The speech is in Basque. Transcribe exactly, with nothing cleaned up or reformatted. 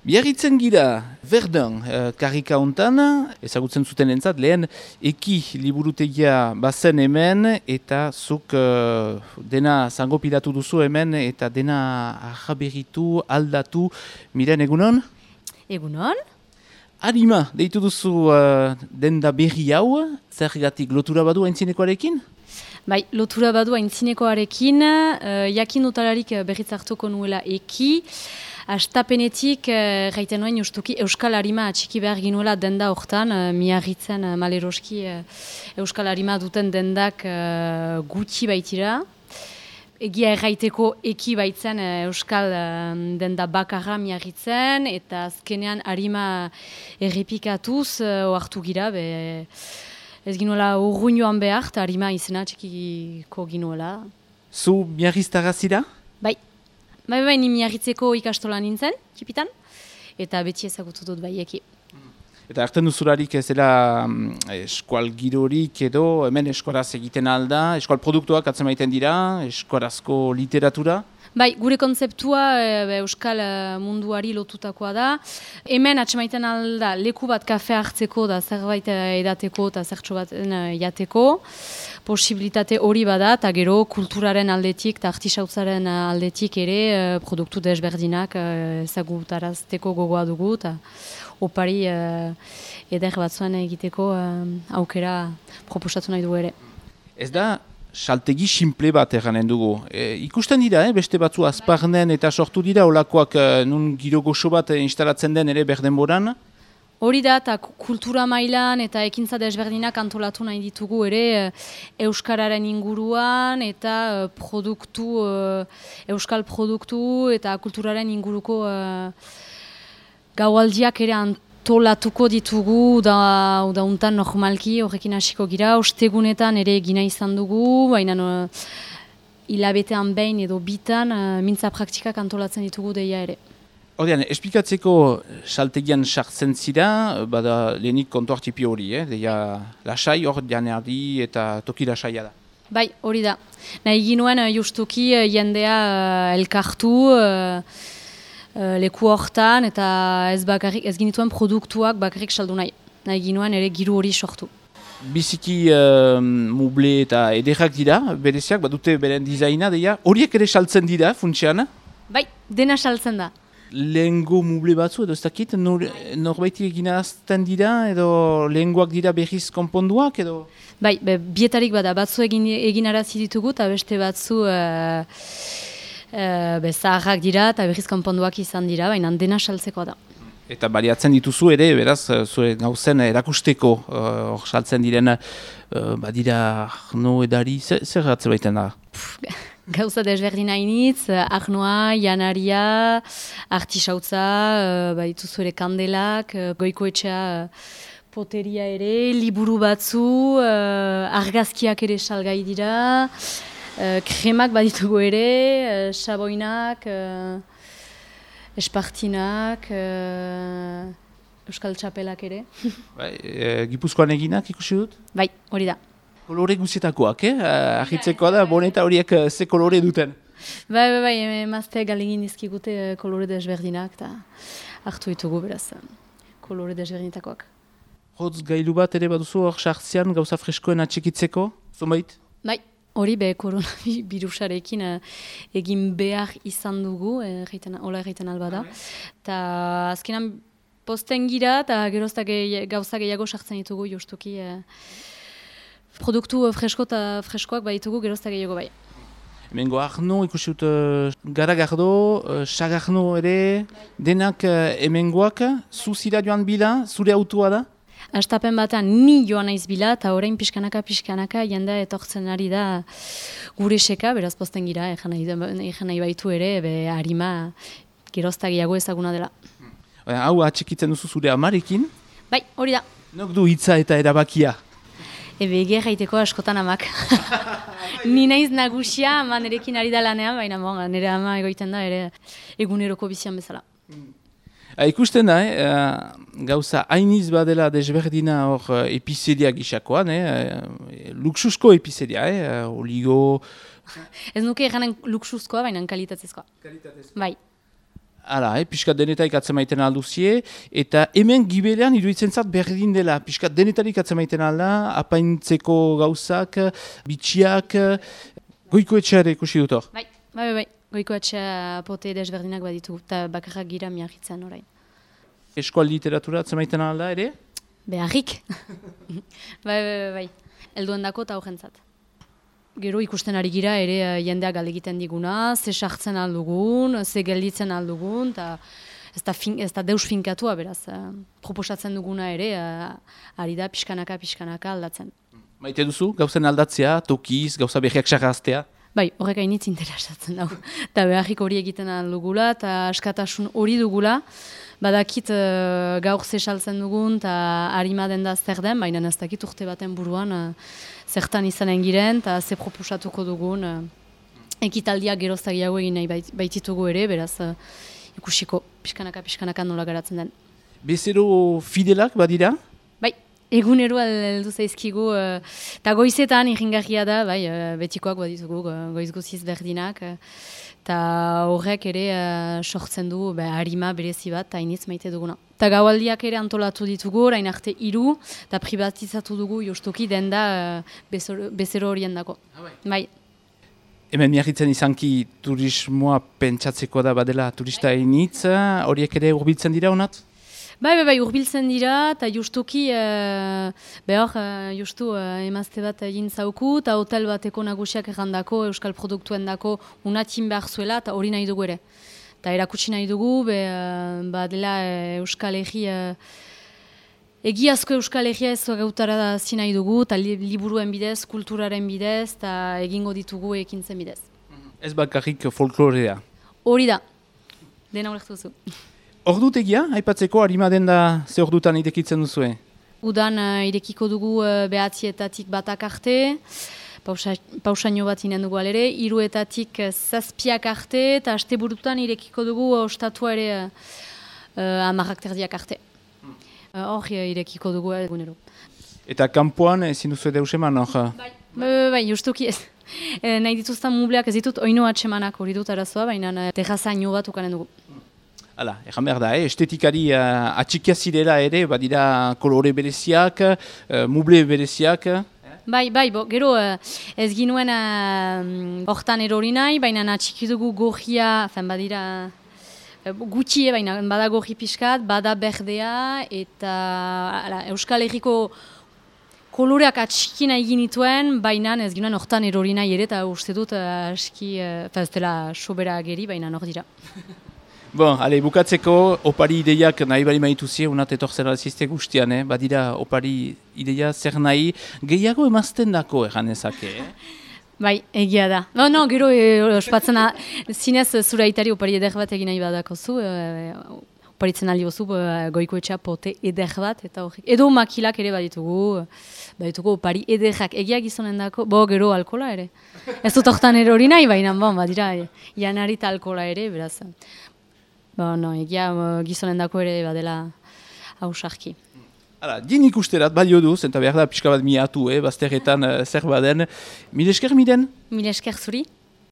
Biarritzen gira, Verdun, uh, karrika hontan, ezagutzen zuten entzat, lehen eki liburutegia bazen hemen, eta zuk uh, dena zango pilatu duzu hemen, eta dena ahaberitu, aldatu, miren egunon? Egunon? Arima, deitu duzu uh, denda berri hau, zergatik lotura badu aintzinekoarekin? Bai, lotura badu aintzinekoarekin, uh, jakin dutalarik berriz hartuko nuela eki, Astapenetik, eh, gaiten noen justuki Euskal Arima atxiki behar ginuela denda hortan, eh, miarritzen eh, maleroski eh, Euskal Arima duten dendak eh, gutxi baitira. Egia erraiteko eki baitzen eh, Euskal eh, denda bakarra miarritzen, eta azkenean Arima errepikatuz eh, ohartu gira, be, ez ginuela urruinoan behar, eta Arima izena atxikiko ginuela. Zu miarriztara zira? Bai. Bai, bai, ni miarritzeko ikastola nintzen, txipitan, eta beti ezagutu dut baieki. Eta hartzen duzularik ez dela um, eskual girorik edo, hemen eskoraz egiten alda, eskual produktuak atzen maiten dira, eskorazko literatura? Bai, gure kontzeptua e, Euskal munduari lotutakoa da. Hemen atxemaiten alda leku bat kafe hartzeko da zerbait edateko eta zertxo bat jateko. Posibilitate hori bada, eta gero kulturaren aldetik eta artisautzaren aldetik ere e, produktu desberdinak ezagutarazteko gogoa dugu, eta opari e, eder batzuen egiteko e, aukera proposatu nahi dugu ere. Ez da saltegi simple bat erranen dugu. E, ikusten dira, eh? Beste batzu azparnen eta sortu dira, olakoak eh, nun giro goxo bat instalatzen den ere berdenboran? Hori da, eta kultura mailan eta ekintza desberdinak antolatu nahi ditugu ere Euskararen inguruan eta produktu, Euskal produktu eta kulturaren inguruko uh, gaualdiak ere antolatuko ditugu, da, da untan normalki horrekin hasiko gira, ostegunetan ere egina izan dugu, baina uh, hilabetean behin edo bitan uh, mintza praktikak antolatzen ditugu deia ere. Hordian, esplikatzeko saltegian sartzen zira, bada lehenik kontuartipi hori, eh? Deia lasai, hor janeardi eta toki lasaia da. Bai, hori da. Nahi ginuen justuki jendea uh, elkartu uh, uh, leku hortan, eta ez, bakarrik, ez ginituen produktuak bakarrik saldu nahi. Nahi ginuen ere giru hori sortu. Biziki uh, muble eta ederrak dira, bereziak, badute beren dizaina, deia, horiek ere saltzen dira, funtsean? Bai, dena saltzen da. Lehengo muble batzu edo ez dakit, nor, norbaiti egina azten dira edo lehengoak dira berriz konponduak edo? Bai, be, bietarik bada, batzu egin, egin arazi ditugu eta beste batzu uh, uh, be, zaharrak dira eta berriz konponduak izan dira, baina dena saltzekoa da. Eta baliatzen dituzu ere, beraz, zure gauzen erakusteko hor uh, saltzen diren uh, badira arno edari, zer, zer ratze baiten da? Gauza desberdin hainitz, arnoa, janaria, artisautza, uh, baditu zure kandelak, uh, goikoetxea poteria ere, liburu batzu, uh, argazkiak ere salgai dira, uh, kremak baditugu ere, uh, saboinak, uh, espartinak, uh, euskal txapelak ere. Bai, e, Gipuzkoan eginak ikusi dut? Bai, hori da. Kolore guzietakoak, eh? Ahitzekoa da, boneta horiek ze kolore duten? Bai, bai, bai, emazte galegin izkigute kolore desberdinak, eta hartu ditugu beraz, kolore desberdinetakoak. Hotz gailu bat ere baduzu hor sartzean gauza freskoen atxikitzeko, zonbait? Bai, hori be koronavirusarekin egin behar izan dugu, hola erraiten alba da. Eta azkenan posten gira, eta geroztak gauza gehiago sartzen ditugu justuki, produktu fresko eta freskoak baditugu gerozta gehiago bai. Hemengo Arno ikusi dut uh, Garagardo, uh, Sagarno ere, denak uh, hemengoak, zu zira joan bila, zure autua da? Astapen batean ni joan naiz bila, eta orain pixkanaka pixkanaka jendea etortzen ari da gure seka, beraz posten gira, egan nahi, nahi baitu ere, be Arima gerozta gehiago ezaguna dela. Hau atxikitzen duzu zure amarekin? Bai, hori da. Nok du hitza eta erabakia? Ebe egia jaiteko askotan amak. Ni naiz nagusia, ama nerekin ari da lanean, baina bon, nire ama egoiten da ere eguneroko bizian bezala. Ha, ikusten da, eh, gauza hainiz badela desberdina hor epizeria gisakoan, eh, luxusko epizeria, eh, oligo... Ez nuke eganen luxuzkoa, baina kalitatezkoa. Kalitatezkoa. Bai. Hala, eh, piskat denetarik atzemaiten alduzie, eta hemen gibelean iruditzen zat berdin dela. Piskat denetarik atzemaiten alda, apaintzeko gauzak, bitxiak, goiko etxeare ikusi dut hor. Bai, bai, bai, goiko etxea pote desberdinak baditu, eta bakarrak gira miagitzen orain. Eskual literatura atzemaiten alda ere? Beharrik. bai, bai, bai, bai, helduen dako eta horrentzat. Gero ikusten ari gira ere jendeak galegiten diguna, ze sartzen aldugun, ze gelditzen aldugun, eta ez da, fin, ez da deus finkatua, beraz, uh, proposatzen duguna ere, uh, ari da pixkanaka, pixkanaka aldatzen. Maite duzu, gauzen aldatzea, tokiz, gauza behiak sarraztea? Bai, horrek hainitz interesatzen dago. Eta beharrik hori egiten aldugula, eta askatasun hori dugula, badakit uh, gaur zesaltzen dugun, eta harima den da zer den, baina ez dakit urte baten buruan, uh, zertan izanen giren, eta ze proposatuko dugun, uh, ekitaldiak geroztagiago egin nahi bait, baititugu ere, beraz uh, ikusiko pixkanaka, pixkanaka nola garatzen den. Bezero fidelak badira? Bai, egunero heldu zaizkigu, eta uh, goizetan irringarria da, bai, uh, betikoak baditugu, uh, goiz guziz berdinak, eta uh, horrek ere uh, sortzen du bah, harima berezi bat, eta iniz maite duguna. Eta gaualdiak ere antolatu ditugu, orain arte hiru, eta privatizatu dugu justuki den da uh, bezero horien dako. Ah, bai. Bai. Hemen miarritzen izanki turismoa pentsatzeko da badela turista initz, horiek ere hurbiltzen dira honat? Bai, bai, bai, hurbiltzen dira, eta justuki, uh, behar, uh, justu uh, emazte bat egin zauku, eta hotel bateko nagusiak errandako, euskal produktuen dako unatin behar zuela, eta hori nahi dugu ere. Eta erakutsi nahi dugu, be, uh, ba dela uh, euskal egi, uh, egiazko euskal egia ez gautara da zi nahi dugu, eta li, liburuen bidez, kulturaren bidez, eta egingo ditugu ekintzen bidez. Ez bakarrik folklorea? Hori da, dena ulertu duzu. Ordutegia, aipatzeko harima den da ze ordutan irekitzen duzue? Udan uh, irekiko dugu uh, behatzietatik batak arte, pausa, pausaino bat inen dugu alere, hiruetatik uh, zazpiak arte, eta asteburutan irekiko dugu uh, ostatua ere uh, uh, amarrak terdiak arte. Hor uh, irekiko dugu egunero. Eta kanpoan ezin duzu edo eman hor? Bai, bai, bai, justuki ez. E, nahi dituztan mubleak ez ditut oino atsemanak hori dut arazoa, baina uh, terrazaino bat ukanen dugu. Hala, egan behar da, eh? Estetikari uh, atxikia zirela ere, badira kolore bereziak, uh, muble bereziak. Eh? Bai, bai, bo, gero uh, ez ginuen hortan uh, erori nahi, baina atxiki dugu gorria, fen badira uh, gutxi, baina bada gorri pixkat, bada berdea, eta ala, Euskal Herriko koloreak atxiki nahi ginituen, baina ez ginuen hortan erori nahi ere, eta uste dut uh, aski, uh, ez dela sobera geri, baina hor dira. Bon, ale, bukatzeko, opari ideiak nahi bali maituzie, unat etortzen alzizte guztian, eh? Badira opari ideia zer nahi, gehiago emazten dako egan ezake, eh? Bai, egia da. No, no, gero, e, ospatzen, zinez zure aitari opari eder bat egin nahi badako zu, e, oparitzen aldi oso goiko etxea pote eder bat, eta horrek. Edo makilak ere baditugu, baditugu opari ederrak, egia gizonen dako, bo, gero alkola ere. Ez dut hortan erori nahi, baina, bon, badira, janari eta alkola ere, beraz. Ba, no, egia gizonen dako ere badela hausarki. Hala, din ikusterat balio duz, eta behar da pixka bat miatu, eh, bazterretan uh, zer baden. Mil esker, Miden? Mil esker zuri.